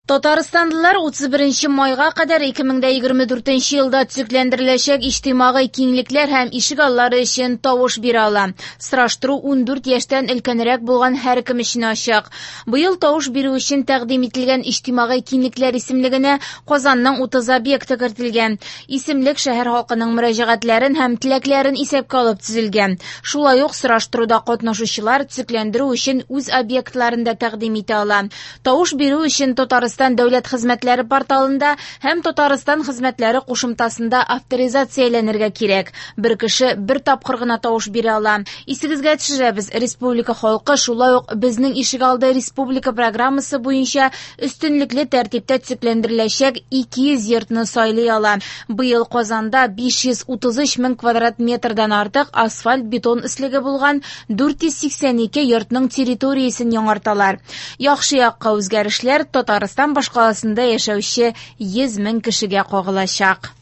Татарстанлылар 31 майга кадәр 2024 елда төзекләндереләчәк иҗтимагый киңлекләр һәм ишек аллары өчен тавыш бирә ала. Сораштыру 14 яшьтән өлкәнрәк булган һәркем өчен ачык. Быел тавыш бирү өчен тәкъдим ителгән иҗтимагый киңлекләр исемлегенә Казанның 30 объекты кертелгән. Исемлек шәһәр халкының мөрәҗәгатьләрен һәм теләкләрен исәпкә алып төзелгән. Шулай ук сораштыруда катнашучылар төзекләндерү өчен үз объектларын да тәкъдим итә ала. Тавыш бирү өчен Татарстан дәүләт хезмәтләре порталында һәм Татарстан хезмәтләре кушымтасында авторизацияләнергә кирәк. Бер кеше бер тапкыр гына тавыш бирә ала. Исегезгә төшерәбез, республика халкы шулай ук Безнең ишегалды республика программасы буенча өстенлекле тәртиптә төзекләндереләчәк 200 йортны сайлый ала. Быел Казанда 533 мең квадрат метрдан артык асфальт-бетон өслеге булган 482 йортның территориясен яңарталар. Яхшы якка үзгәрешләр Татарстан башкаласында яшәүче 100 мең кешегә кагылачак.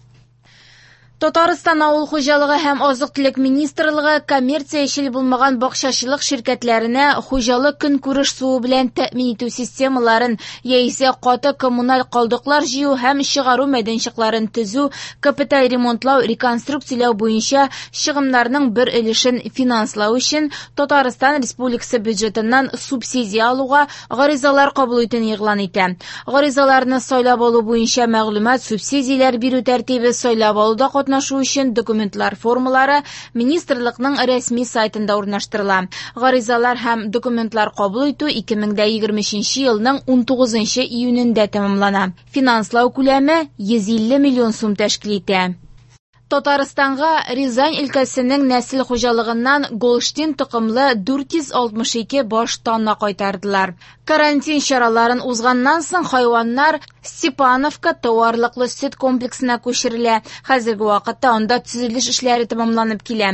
Татарстан авыл хуҗалыгы һәм азык-төлек министрлыгы коммерциячел булмаган бакчачылык ширкәтләренә хуҗалык көнкүреш суы белән тәэмин итү системаларын яисә каты коммуналь калдыклар җыю һәм чыгару мәйданчыкларын төзү, капиталь ремонтлау, реконструкцияләү буенча чыгымнарның бер өлешен финанслау өчен Татарстан Республикасы бюджетыннан субсидия алуга гаризалар кабул итүне игълан итә. Гаризаларны сайлап алу буенча мәгълүмат, субсидияләр бирү тәртибе, сайлап алуда катнашу өчен документлар формалары министрлыкның рәсми сайтында урнаштырыла. Гаризалар һәм документлар кабул итү 2023 елның 19 июнендә тәмамлана. Финанслау күләме 150 миллион сум тәшкил итә. Татарстанга Рязань өлкәсенең нәсел хуҗалыгыннан Голштин токымлы 462 баш тана кайтардылар. Карантин чараларын узганнан соң хайваннар Степановка товарлыклы сөт комплексына күчерелә. Хәзерге вакытта анда төзелеш эшләре тәмамланып килә.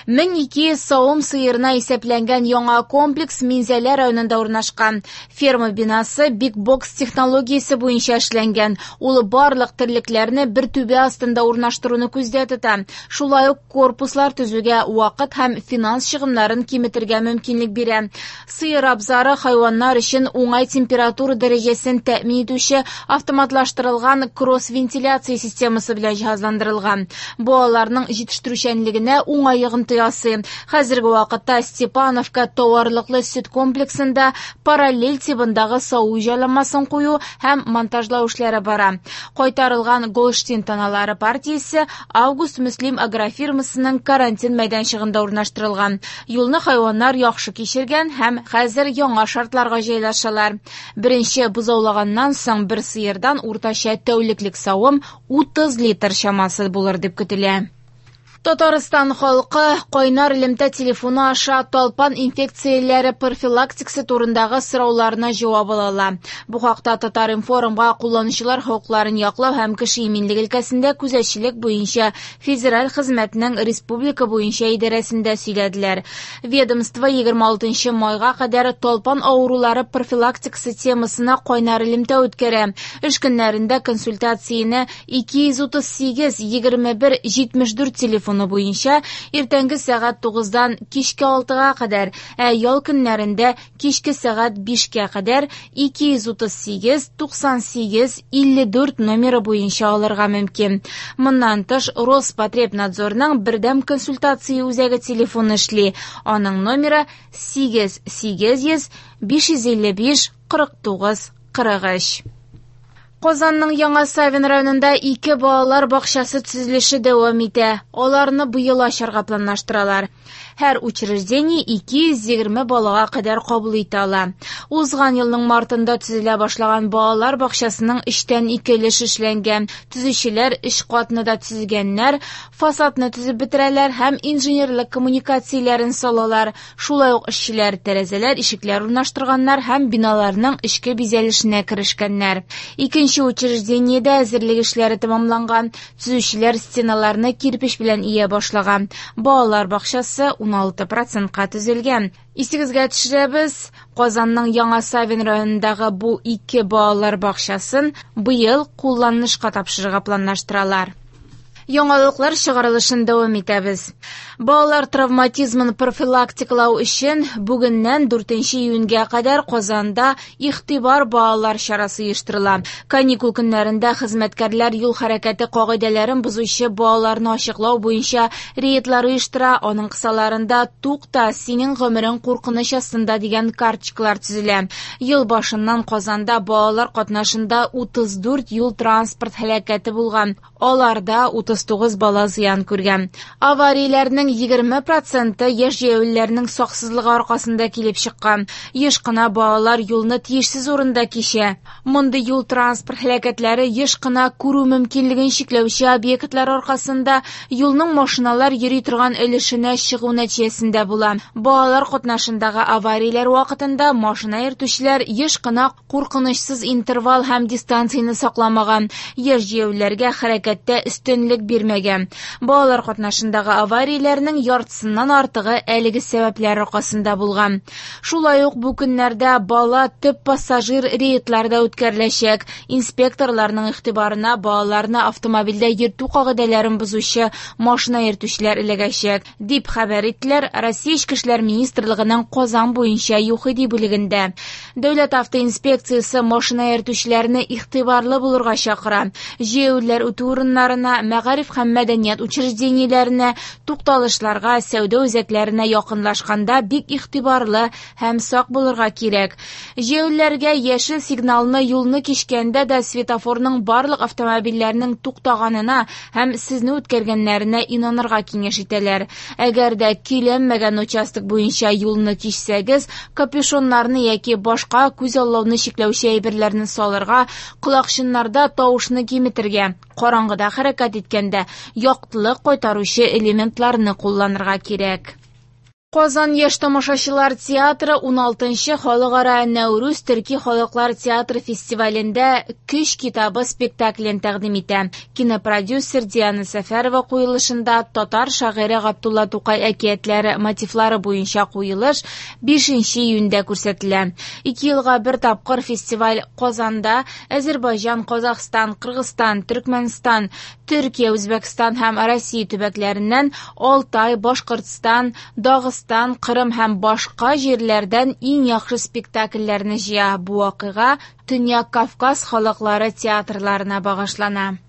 1200 савым сыерына исәпләнгән яңа комплекс Минзәлә районында урнашкан. Ферма бинасы Big Box технологиясе буенча эшләнгән. Ул барлык терлекләрне бер түбә астында урнаштыруны күздә тота. Шулай ук корпуслар төзүгә вакыт һәм финанс чыгымнарын киметергә мөмкинлек бирә. Сыер абзары хайваннар өчен уңай температура дәрәҗәсен тәэмин итүче автоматлаштырылган кросс-вентиляция системасы белән җиһазландырылган. Бу аларның җитештерүчәнлегенә уңай йогынты ясый. Хәзерге вакытта Степановка товарлыклы сөт комплексында параллель тибындагы саву җайланмасын кую һәм монтажлау эшләре бара. Кайтарылган Голштин таналары партиясе Август Мөслим агрофирмасының карантин мәйданчыгында урнаштырылган. Юлны хайваннар яхшы кичергән һәм хәзер яңа шартларга җайлашалар. Беренче бозаулаганнан соң бер сыердан уртача тәүлеклек савым 30 литр чамасы булыр дип көтелә. Татарстан халкы кайнар элемтә телефоны аша талпан инфекцияләре профилактикасы турындагы сорауларына җавап ала ала. Бу хакта Татар-информга кулланучылар хокукларын яклау һәм кеше иминлеге өлкәсендә күзәтчелек буенча федераль хезмәтнең республика буенча идарәсендә сөйләделәр. Ведомство 26 майга кадәр талпан авырулары профилактикасы темасына кайнар элемтә үткәрә. Эш көннәрендә консультацияне 238 21 74 телефоны буенча иртәнге сәгать 9-дан кичке 6-га кадәр, ә ял көннәрендә кичке сәгать 5-кә кадәр 238 98 54 номеры буенча алырга мөмкин. Моннан тыш Роспотребнадзорның бердәм консультация үзәге телефоны эшли. Аның номеры 8 800 555 49 43. Казанның Яңа Савин районында ике балалар бакчасы төзелеше дәвам итә. Аларны быел ачарга планлаштыралар. Һәр учреждение 220 балага кадәр кабул итә ала. Узган елның мартында төзелә башлаган балалар бакчасының 2/3 өлеше эшләнгән. Төзүчеләр 3 катны да төзегәннәр, фасадны төзеп бетерәләр һәм инженерлык коммуникацияләрен салалар. Шулай ук эшчеләр тәрәзәләр, ишекләр урнаштырганнар һәм биналарның эчке бизәлешенә керешкәннәр. Икенче учреждениедә әзерлек эшләре тәмамланган. Төзүчеләр стеналарны кирпеч белән ия башлаган. Балалар бакчасы 16%-ка төзелгән. Исегезгә төшерәбез, Казанның Яңа Савин районындагы бу ике балалар бакчасын быел кулланылышка тапшырырга планлаштыралар. Яңалыклар чыгарылышын дәвам итәбез. Балалар травматизмын профилактикалау өчен бүгеннән 4 июньгә кадәр Казанда «Игътибар, балалар» чарасы оештырыла. Каникул көннәрендә хезмәткәрләр юл хәрәкәте кагыйдәләрен бозучы балаларны ачыклау буенча рейдлар оештыра. Аның кысаларында «Тукта, синең гомерең куркыныч астында» дигән карточкалар төзелә. Ел башыннан Казанда балалар катнашында 34 юл-транспорт һәлакәте булган. Аларда 39 бала зыян күргән. Аварияләрнең 20 проценты яшь җәяүлеләрнең саксызлыгы аркасында килеп чыккан. Еш кына балалар юлны тиешсез урында кичә. Мондый юл-транспорт һәлакәтләре еш кына күрү мөмкинлеген чикләүче объектлар аркасында юлның машиналар йөри торган өлешенә чыгу нәтиҗәсендә була. Балалар катнашындагы аварияләр вакытында машина йөртүчеләр еш кына куркынычсыз интервал һәм дистанцияне сакламаган, яшь җәяүлеләргә хәрәкәттә өстенлек бирмәгән. Балалар катнашындагы аварияләрнең яртысыннан артыгы әлеге сәбәпләр аркасында булган. Шулай ук бу көннәрдә бала төп пассажир рейдлары да үткәреләчәк. Инспекторларның игътибарына балаларны автомобильдә йөртү кагыйдәләрен бозучы машина йөртүчеләр эләгәчәк, дип хәбәр иттеләр Россия Эчке эшләр министрлыгының Казан буенча ЮХИДИ бүлегендә. Дәүләт автоинспекциясе машина йөртүчеләрне игътибарлы булырга чакыра. Җәяүлеләр үтү урыннарына, мәгариф һәм мәдәният учреждениеләренә, тукталышларга, сәүдә үзәкләренә якынлашканда бик игътибарлы һәм сак булырга кирәк. Җәяүлеләргә яшел сигналны юлны кичкәндә дә светофорның барлык автомобильләрнең туктаганына һәм сезне үткәргәннәренә инанырга киңәш итәләр. Әгәр дә көйләнмәгән участок буенча юлны кичсәгез, капюшоннарны яки башка күз аллауны чикләүче әйберләрне салырга, колакчыннарда тавышны киметергә, караңгыда хәрәкәт иткәндә яктылык кайтаручы элементларны кулланырга кирәк. Казан яшь тамашачылар театры 16нчы халыкара Нәүрүз төрки халыклар театры фестивалендә Көч китабы спектаклен тәкъдим итә. Кинопродюсер Диана Сәфәрова куелышында татар шагыйре Габдулла Тукай әкиятләре мотивлары буенча куелыш 5 июньдә күрсәтелә. Ике елга бер тапкыр фестиваль Казанда Әзербайҗан, Казахстан, Кыргызстан, Төркмәнстан, Төркия, Үзбәкстан һәм Россия төбәкләреннән Алтай, Башкортстан, Дагыстан, Кырым һәм башка җирләрдән иң яхшы спектакльләрне җыя. Бу вакыйга Төньяк Кавказ халыклары театрларына багышлана.